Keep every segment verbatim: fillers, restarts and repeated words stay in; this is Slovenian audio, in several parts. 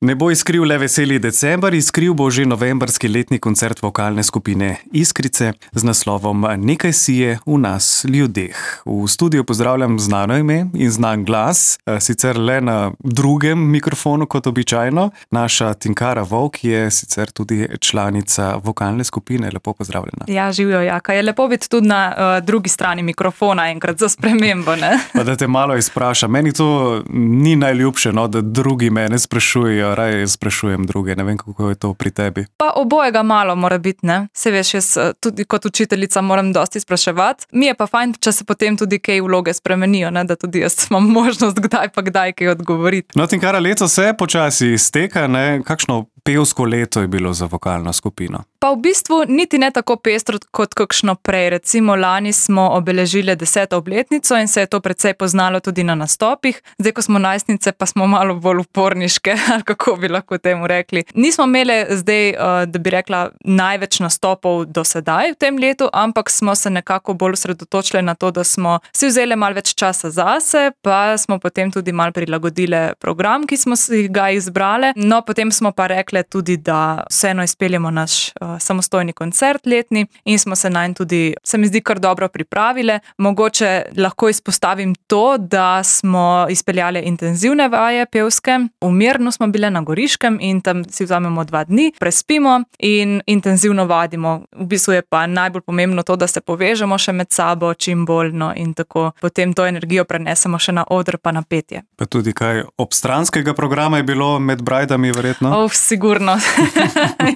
Ne bo iskril le veseli december, iskril bo že novembrski letni koncert vokalne skupine Iskrice z naslovom Nekaj sije v nas ljudeh. V studiu pozdravljam znano ime in znan glas, sicer le na drugem mikrofonu kot običajno. Naša Tinkara Vovk je sicer tudi članica vokalne skupine. Lepo pozdravljena. Ja, živijo, Jaka. Je lepo biti tudi na uh, drugi strani mikrofona enkrat za spremembo, ne? Pa da te malo izprašam. Meni to ni najljubše, no, da drugi mene sprašujejo. Raje sprašujem druge, ne vem, kako je to pri tebi. Pa obojega malo mora biti, ne? Se veš, jaz tudi kot učiteljica moram dosti spraševati. Mi je pa fajn, če se potem tudi kaj vloge spremenijo, ne? Da tudi jaz imam možnost kdaj pa kdaj kaj odgovoriti. No, Tinkara, leto se počasi izteka, ne? Kakšno pevsko leto je bilo za vokalno skupino? Pa v bistvu niti ne tako pestro kot kakšno prej. Recimo lani smo obeležili deseto obletnico in se je to precej poznalo tudi na nastopih. Zdaj, ko smo najstnice, pa smo malo bolj uporniške, ali kako bi lahko temu rekli. Nismo imeli zdaj, da bi rekla, največ nastopov do sedaj v tem letu, ampak smo se nekako bolj osredotočili na to, da smo si vzeli malo več časa zase, pa smo potem tudi malo prilagodili program, ki smo si ga izbrali. No, potem smo pa rekli tudi, da vseeno izpeljemo naš samostojni koncert letni in smo se nanj tudi, se mi zdi, kar dobro pripravile. Mogoče lahko izpostavim to, da smo izpeljali intenzivne vaje pevske. V Mirnu smo bile na Goriškem in tam si vzamemo dva dni, prespimo in intenzivno vadimo. V bistvu je pa najbolj pomembno to, da se povežemo še med sabo čim bolj, no, in tako potem to energijo prenesemo še na oder pa na petje. Pa tudi kaj obstranskega programa je bilo med brajdami verjetno? Oh, sigurno.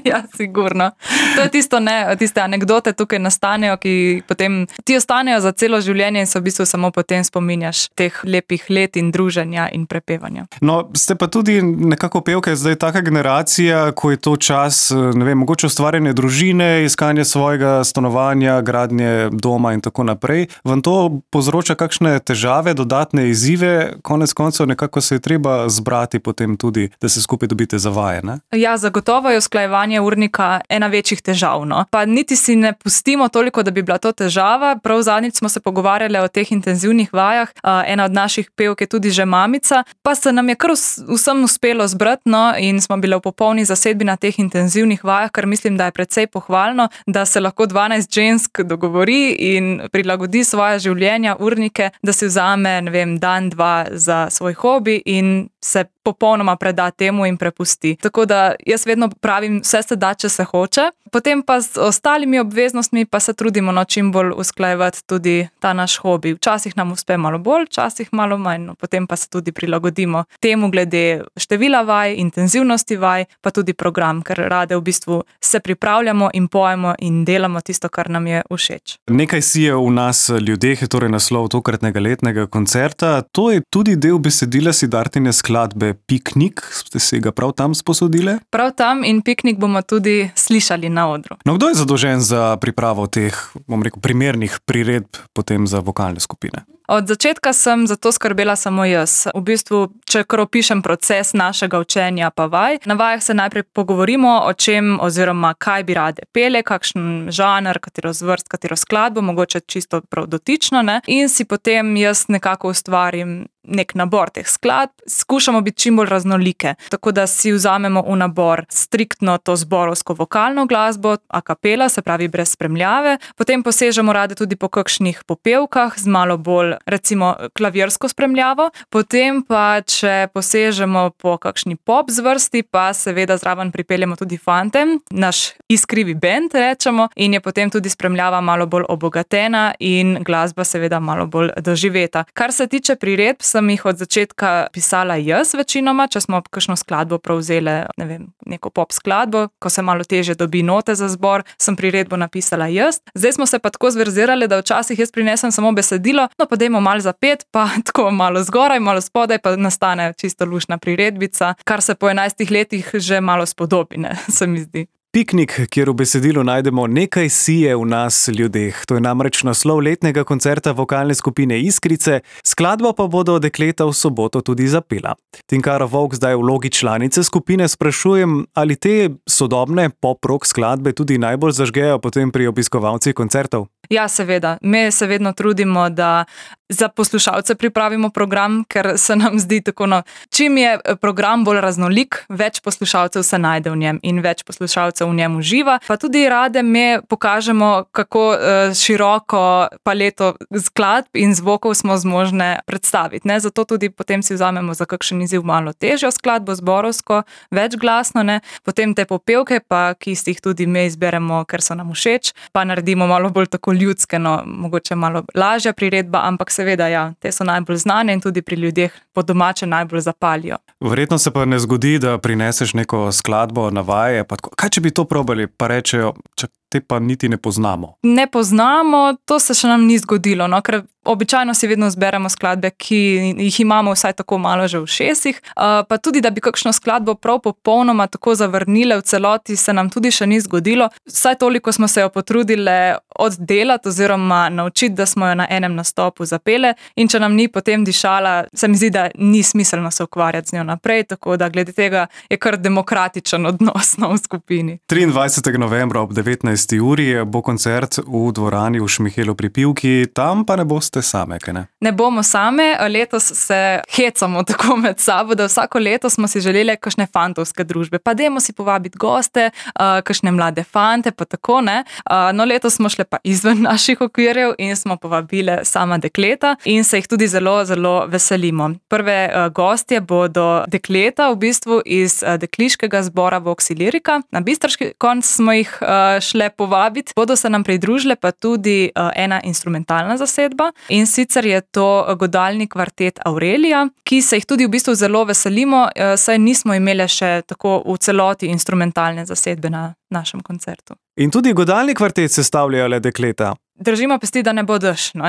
Ja, sigurno. To je tisto, ne, tiste anekdote tukaj nastanejo, ki potem ti ostanejo za celo življenje in se v bistvu samo potem spominjaš teh lepih let in druženja in prepevanja. No, ste pa tudi nekako pevke, zdaj taka generacija, ko je to čas, ne vem, mogoče ustvarjanje družine, iskanje svojega stanovanja, gradnje doma in tako naprej. Vam to povzroča kakšne težave, dodatne izzive? Konec koncev nekako se je treba zbrati potem tudi, da se skupaj dobite za vaje, ne? Ja, zagotovo je usklajevanje urnika ena večjih težav, no. Pa niti si ne pustimo toliko, da bi bila to težava. Prav zadnjič smo se pogovarjali o teh intenzivnih vajah. Ena od naših pevk je tudi že mamica, pa se nam je kar vsem uspelo zbrati, no, in smo bile v popolni zasedbi na teh intenzivnih vajah, kar mislim, da je precej pohvalno, da se lahko dvanajst žensk dogovori in prilagodi svoje življenja, urnike, da si vzame, ne vem, dan, dva za svoj hobi in se popolnoma preda temu in prepusti. Tako da jaz vedno pravim, vse se da, če se hoče. Potem pa z ostalimi obveznostmi pa se trudimo, no, čim bolj usklajevati tudi ta naš hobi. Včasih nam uspe malo bolj, včasih malo manj, no, potem pa se tudi prilagodimo temu glede števila vaj, intenzivnosti vaj, pa tudi program, ker rade v bistvu se pripravljamo in pojemo in delamo tisto, kar nam je všeč. Nekaj sije v nas ljudeh je torej naslov tokratnega letnega koncerta. To je tudi del besedila Siddhartine skladbe Piknik. Ste si ga prav tam sposodile? Prav tam in Piknik bomo tudi slišali na odru. No, kdo je zadolžen za pripravo teh, bom rekel, primernih priredb potem za vokalne skupine? Od začetka sem za to skrbela samo jaz. V bistvu, če kar opišem proces našega učenja pa vaj, na vajah se najprej pogovorimo o čem oziroma kaj bi rade pele, kakšen žanr, katero zvrst, katero skladbo, mogoče čisto prav dotično, ne? In si potem jaz nekako ustvarim nek nabor teh skladb. Skušamo biti čim bolj raznolike, tako da si vzamemo v nabor striktno to zborovsko vokalno glasbo, a kapela, se pravi brez spremljave. Potem posežemo rade tudi po kakšnih popevkah z malo bolj, recimo, klavirsko spremljavo. Potem pa, če posežemo po kakšni pop zvrsti, pa seveda zraven pripeljemo tudi fante, naš iskrivi bend, rečemo, in je potem tudi spremljava malo bolj obogatena in glasba seveda malo bolj doživeta. Kar se tiče priredb, sem jih od začetka pisala jaz večinoma, če smo kakšno skladbo prevzeli, ne vem, neko pop skladbo, ko se malo težje dobi note za zbor, sem priredbo napisala jaz. Zdaj smo se pa tako zverzirali, da včasih jaz prinesem samo besedilo, no pa dajmo malo zapet, pa tako malo zgoraj, malo spodaj, pa nastane čisto luštna priredbica, kar se po enajstih letih že malo spodobi, ne, se mi zdi. Piknik, kjer v besedilu najdemo Nekaj sije v nas ljudeh. To je namreč naslov letnega koncerta vokalne skupine Iskrice, skladbo pa bodo dekleta v soboto tudi zapela. Tinkara Vovk, zdaj v vlogi članice skupine sprašujem, ali te sodobne pop-rock skladbe tudi najbolj zažgejo potem pri obiskovalcih koncertov? Ja, seveda. Mi se vedno trudimo, da za poslušalce pripravimo program, ker se nam zdi tako, no, čim je program bolj raznolik, več poslušalcev se najde v njem in več poslušalcev v njem uživa. Pa tudi rade mi pokažemo, kako uh, široko paleto skladb in zvokov smo zmožne predstaviti. Ne? Zato tudi potem si vzamemo za kakšen izziv malo težjo skladbo, zborovsko, večglasno, ne? Potem te popevke, pa, ki si jih tudi mi izberemo, ker so nam všeč, pa naredimo malo bolj tako ljudske, no, mogoče malo lažja priredba, ampak seveda, ja, te so najbolj znane in tudi pri ljudeh po domače najbolj zapalijo. Verjetno se pa ne zgodi, da prineseš neko skladbo na vaje, pa tako, kaj če bi to probali, pa rečejo, čak, te pa niti ne poznamo. Ne poznamo, to se še nam ni zgodilo, no, ker običajno si vedno zberemo skladbe, ki jih imamo vsaj tako malo že v ušesih, uh, pa tudi, da bi kakšno skladbo prav popolnoma tako zavrnile v celoti, se nam tudi še ni zgodilo. Vsaj toliko smo se jo potrudile oddelati oziroma naučiti, da smo jo na enem nastopu zapele, in če nam ni potem dišala, se mi zdi, da ni smiselno se ukvarjati z njo naprej, tako da glede tega je kar demokratičen odnos v skupini. triindvajsetega novembra ob devetnajsti uri bo koncert v dvorani v Šmihelu pri Pivki, tam pa ne boste same, kaj ne? Ne bomo same, letos se hecamo tako med sabo, da vsako leto smo si želeli kakšne fantovske družbe, pa dajmo si povabiti goste, uh, kakšne mlade fante, pa tako, ne. Uh, no, letos smo šle pa izven naših okvirjev in smo povabile sama dekleta in se jih tudi zelo, zelo veselimo. Prve uh, gostje bodo dekleta v bistvu iz uh, dekliškega zbora Voxi Lyrika. Na bistriški konc smo jih uh, šle povabiti. Bodo se nam pridružile pa tudi uh, ena instrumentalna zasedba, in sicer je to godalni kvartet Aurelija, ki se jih tudi v bistvu zelo veselimo, uh, saj nismo imeli še tako v celoti instrumentalne zasedbe na našem koncertu. In tudi godalni kvartet sestavljajo le dekleta. Držimo pesti, da ne bo dež, no?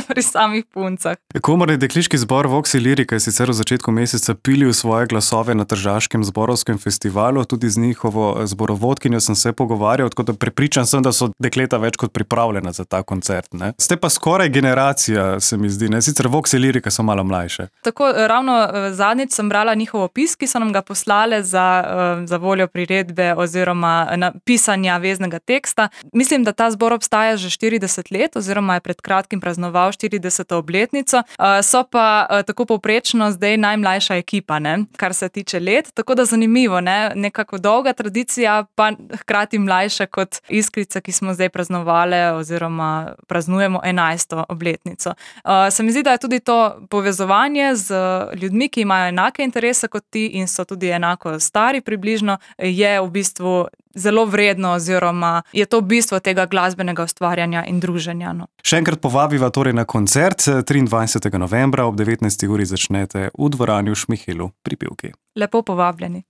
Pri samih puncah. Komorni dekliški zbor Voxi Lyrika je sicer v začetku meseca pilil svoje glasove na Tržaškem zborovskem festivalu, tudi z njihovo zborovodkinjo sem se pogovarjal, tako da prepričan sem, da so dekleta več kot pripravljena za ta koncert, ne? Ste pa skoraj generacija, se mi zdi, ne? Sicer Voxi Lyrika so malo mlajše. Tako, ravno zadnjič sem brala njihov opis, ki so nam ga poslale za, za voljo priredbe oziroma pisanja veznega teksta. Mislim, da ta zbor obstaja že štirideset let, oziroma je pred kratkim praznoval štirideseto obletnico, so pa tako povprečno zdaj najmlajša ekipa, ne, kar se tiče let, tako da zanimivo, ne, nekako dolga tradicija, pa hkrati mlajša kot Iskrice, ki smo zdaj praznovali oziroma praznujemo enajsto obletnico. Se mi zdi, da je tudi to povezovanje z ljudmi, ki imajo enake interese kot ti in so tudi enako stari približno, je v bistvu zelo vredno oziroma je to bistvo tega glasbenega ustvarjanja in druženja. No. Še enkrat povabiva torej na koncert, triindvajsetega novembra ob devetnajsti uri začnete v dvorani v Šmihelu pri Pivki. Lepo povabljeni.